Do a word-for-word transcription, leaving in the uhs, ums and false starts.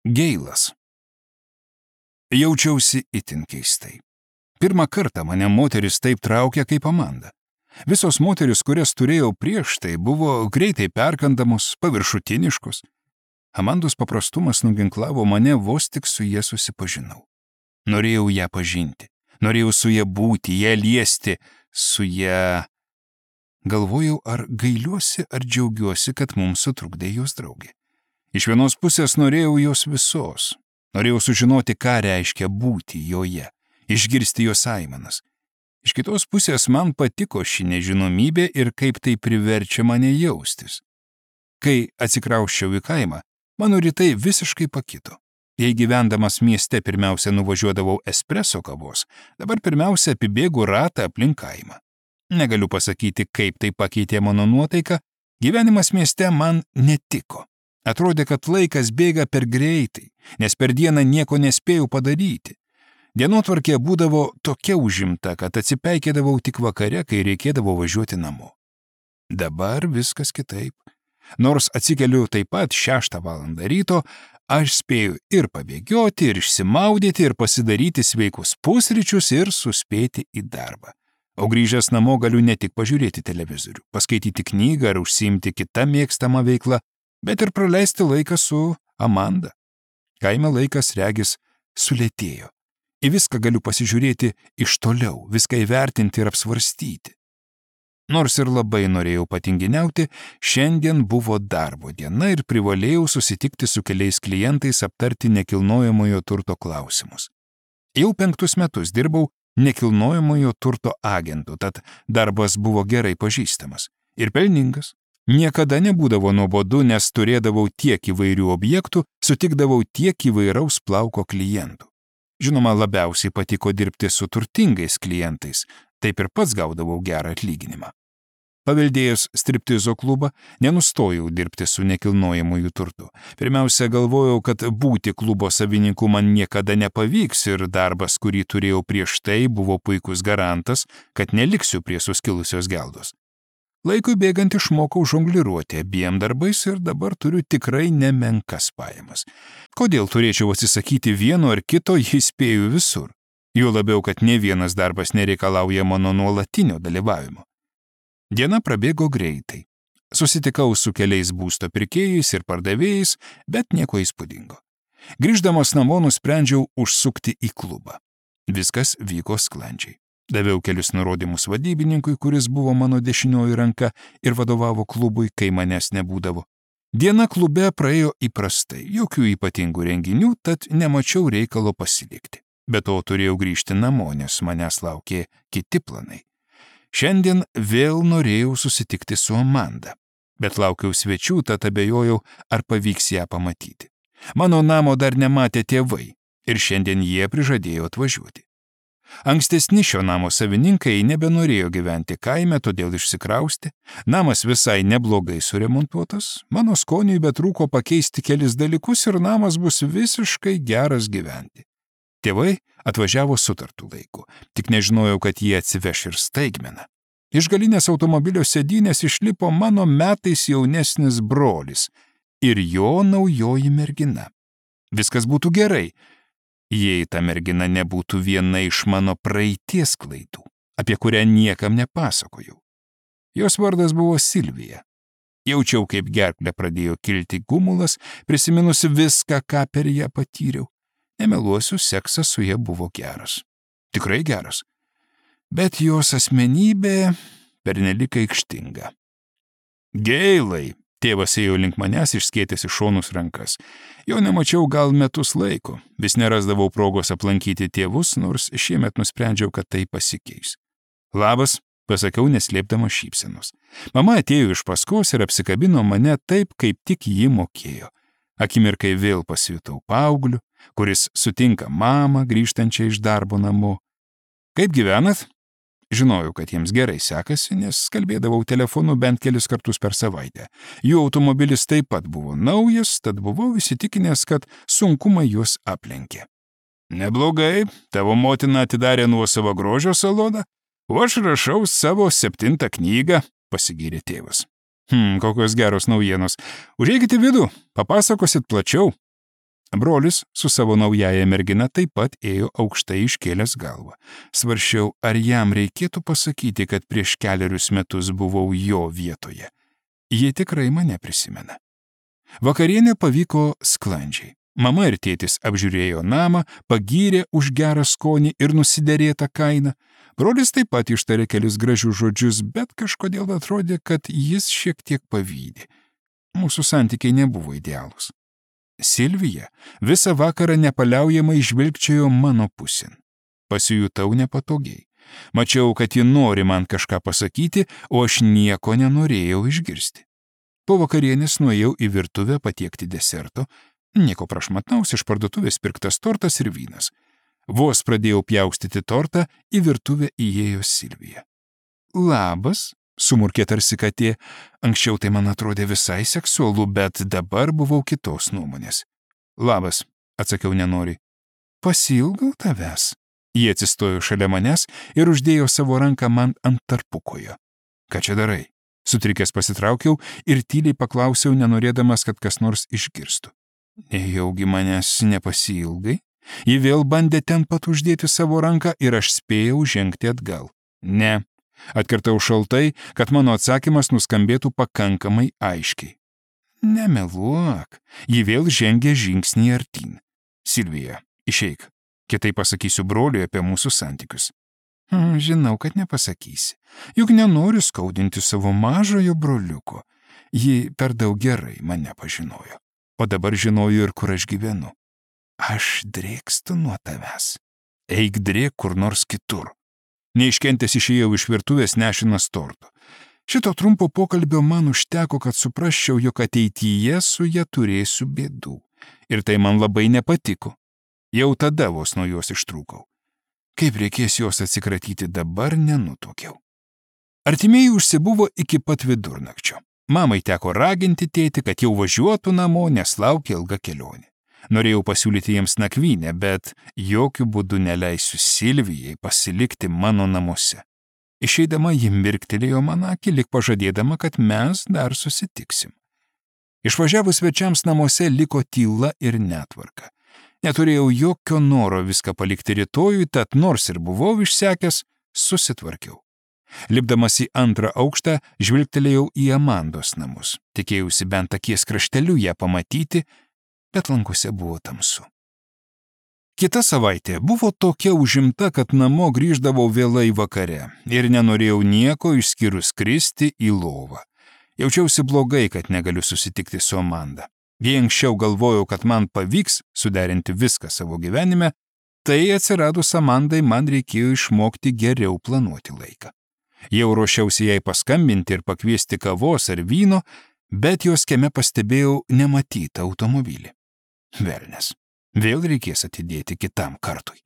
Geilas. Jaučiausi itin keistai. Pirmą kartą mane moteris taip traukė kaip Amanda. Visos moteris, kurias turėjau prieš tai, buvo greitai perkandamos, paviršutiniškos. Amandos paprastumas nuginklavo mane, vos tik su jie susipažinau. Norėjau ją pažinti, norėjau su ją būti, ją liesti, su ją... Galvojau, ar gailiuosi, ar džiaugiuosi, kad mums sutrukdė jos draugė. Iš vienos pusės norėjau jos visos. Norėjau sužinoti, ką reiškia būti joje, išgirsti jos aimanas. Iš kitos pusės man patiko ši nežinomybė ir kaip tai priverčia mane jaustis. Kai atsikrausčiau į kaimą, mano rytai visiškai pakito. Jei gyvendamas mieste pirmiausia nuvažiuodavau espreso kavos, dabar pirmiausia apibėgu ratą aplink kaimą. Negaliu pasakyti, kaip tai pakeitė mano nuotaiką, gyvenimas mieste man netiko. Atrodė, kad laikas bėga per greitai, nes per dieną nieko nespėjau padaryti. Dienotvarkė būdavo tokia užimta, kad atsipeikėdavau tik vakare, kai reikėdavo važiuoti namo. Dabar viskas kitaip. Nors atsikeliu taip pat šeštą valandą ryto, aš spėju ir pabėgioti, ir išsimaudyti, ir pasidaryti sveikus pusryčius, ir suspėti į darbą. O grįžęs namo galiu ne tik pažiūrėti televizorių, paskaityti knygą ar užsiimti kitą mėgstamą veiklą, bet ir praleisti laiką su Amanda. Kaime laikas, regis, sulėtėjo. Į viską galiu pasižiūrėti iš toliau, viską įvertinti ir apsvarstyti. Nors ir labai norėjau patinginiauti, šiandien buvo darbo diena ir privalėjau susitikti su keliais klientais aptarti nekilnojamojo turto klausimus. Jau penktus metus dirbau nekilnojamojo turto agentu, tad darbas buvo gerai pažįstamas ir pelningas. Niekada nebūdavo nuobodu, nes turėdavau tiek įvairių objektų, sutikdavau tiek įvairaus plauko klientų. Žinoma, labiausiai patiko dirbti su turtingais klientais, taip ir pats gaudavau gerą atlyginimą. Paveldėjus striptizo klubą, nenustojau dirbti su nekilnojamuoju turtu. Pirmiausia, galvojau, kad būti klubo savininku man niekada nepavyks ir darbas, kurį turėjau prieš tai, buvo puikus garantas, kad neliksiu prie suskilusios geldos. Laikui bėgant išmokau žongliruoti abiem darbais ir dabar turiu tikrai nemenkas pajamas. Kodėl turėčiau atsisakyti vieno ar kito, jei spėju visur? Jo labiau, kad ne vienas darbas nereikalauja mano nuolatinio dalyvavimo. Diena prabėgo greitai. Susitikau su keliais būsto pirkėjais ir pardavėjais, bet nieko įspūdingo. Grįždamas namo nusprendžiau užsukti į klubą. Viskas vyko sklandžiai. Daviau kelius nurodymus vadybininkui, kuris buvo mano dešinioji ranka ir vadovavo klubui, kai manęs nebūdavo. Diena klube praėjo įprastai, jokių ypatingų renginių, tad nemačiau reikalo pasilikti. Be to turėjau grįžti namo, nes manęs laukė kiti planai. Šiandien vėl norėjau susitikti su Amanda, bet laukiau svečių, tad abejojau, ar pavyks ją pamatyti. Mano namo dar nematė tėvai ir šiandien jie prižadėjo atvažiuoti. Ankstesni šio namo savininkai nebenorėjo gyventi kaime, todėl išsikrausti. Namas visai neblogai suremontuotas, mano skoniui betrūko pakeisti kelis dalykus ir namas bus visiškai geras gyventi. Tėvai atvažiavo sutartų laiku, tik nežinojau, kad jie atsiveš ir staigmeną. Iš galinės automobilio sėdynės išlipo mano metais jaunesnis brolis ir jo naujoji mergina. Viskas būtų gerai, jei ta mergina nebūtų viena iš mano praeities klaidų, apie kurią niekam nepasakojau. Jos vardas buvo Silvija. Jaučiau, kaip gerklę pradėjo kilti gumulas, prisiminusi viską, ką per ją patyriau. Nemeluosiu, seksas su ja buvo geras. Tikrai geras. Bet jos asmenybė pernelyg aikštinga. Geilai, tėvas ėjo link manęs išskėtęs į šonus rankas. Jo nemačiau gal metus laiko. Vis nerasdavau progos aplankyti tėvus, nors šiemet nusprendžiau, kad tai pasikeis. Labas, pasakiau neslėpdama šypsenos. Mama atėjo iš paskos ir apsikabino mane taip, kaip tik ji mokėjo. Akimirkai vėl pasijutau paaugliu, kuris sutinka mamą grįžtančią iš darbo namo. Kaip gyvenat? Žinojau, kad jiems gerai sekasi, nes kalbėdavau telefonu bent kelis kartus per savaitę. Jų automobilis taip pat buvo naujas, tad buvau įsitikinęs, kad sunkumai juos aplenkė. Neblogai, tavo motina atidarė nuosavą grožio saloną, o aš rašau savo septintą knygą, pasigyrė tėvas. Hm, kokios geros naujienos. Užeikite vidų, papasakosit plačiau. Brolis su savo naujaja mergina taip pat ėjo aukštai iškėlęs galvą. Svarsčiau, ar jam reikėtų pasakyti, kad prieš kelerius metus buvau jo vietoje. Jie tikrai mane prisimena. Vakarienė pavyko sklandžiai. Mama ir tėtis apžiūrėjo namą, pagyrė už gerą skonį ir nusiderėtą kainą. Brolis taip pat ištarė kelis gražius žodžius, bet kažkodėl atrodė, kad jis šiek tiek pavydė. Mūsų santykiai nebuvo idealūs. Silvija visą vakarą nepaliaujamai žvilgčiojo mano pusėn. Pasijutau nepatogiai. Mačiau, kad ji nori man kažką pasakyti, o aš nieko nenorėjau išgirsti. Po vakarienės nuėjau į virtuvę patiekti deserto. Nieko prašmatnaus, iš parduotuvės pirktas tortas ir vynas. Vos pradėjau pjaustyti tortą, į virtuvę įėjo Silvija. Labas, sumurkė tarsi katė. Anksčiau tai man atrodė visai seksualu, bet dabar buvau kitos nuomonės. Labas, atsakiau nenoriai. Pasiilgau tavęs. Jie atsistojo šalia manęs ir uždėjo savo ranką man ant tarpukojo. Ką čia darai? Sutrikęs pasitraukiau ir tyliai paklausiau, nenorėdamas, kad kas nors išgirstų. Nejaugi manęs nepasiilgai? Ji vėl bandė ten pat uždėti savo ranką ir aš spėjau žengti atgal. Ne, atkartau šaltai, kad mano atsakymas nuskambėtų pakankamai aiškiai. Nemeluok, ji vėl žengė žingsnį artyn. Silvija, išeik, kitaip pasakysiu broliui apie mūsų santykius. Hmm, žinau, kad nepasakysi, juk nenoriu skaudinti savo mažojo broliuko. Ji per daug gerai mane pažinojo. O dabar žinoju ir kur aš gyvenu. Aš drėkstu nuo tavęs. Eik drėk kur nors kitur. Neiškentęs išėjau iš virtuvės nešinas torto. Šito trumpo pokalbio man užteko, kad suprasčiau, jog ateityje su ja turėsiu bėdų. Ir tai man labai nepatiko. Jau tada vos nuo jos ištrūkau. Kaip reikės jos atsikratyti dabar, nenutuokiau. Artimieji užsibuvo iki pat vidurnakčio. Mamai teko raginti tėtį, kad jau važiuotų namo, nes laukia ilga kelionė. Norėjau pasiūlyti jiems nakvynę, bet jokių būdų neleisiu Silvijai pasilikti mano namuose. Išeidama ji mirktelėjo man akį, lyg pažadėdama, kad mes dar susitiksim. Išvažiavus svečiams namuose liko tyla ir netvarka. Neturėjau jokio noro viską palikti rytojui, tad nors ir buvau išsekęs, susitvarkiau. Lipdamas į antrą aukštą, žvilgtelėjau į Amandos namus. Tikėjausi bent akies krašteliu ją pamatyti, bet lankuose buvo tamsu. Kita savaitė buvo tokia užimta, kad namo grįždavau vėlai vakare ir nenorėjau nieko išskyrus kristi į lovą. Jaučiausi blogai, kad negaliu susitikti su Amanda. Jei anksčiau galvojau, kad man pavyks suderinti viską savo gyvenime, tai atsiradus Amandai man reikėjo išmokti geriau planuoti laiką. Jau ruošiausi jai paskambinti ir pakviesti kavos ar vyno, bet jos kieme pastebėjau nematytą automobilį. Velnias, vėl reikės atidėti kitam kartui.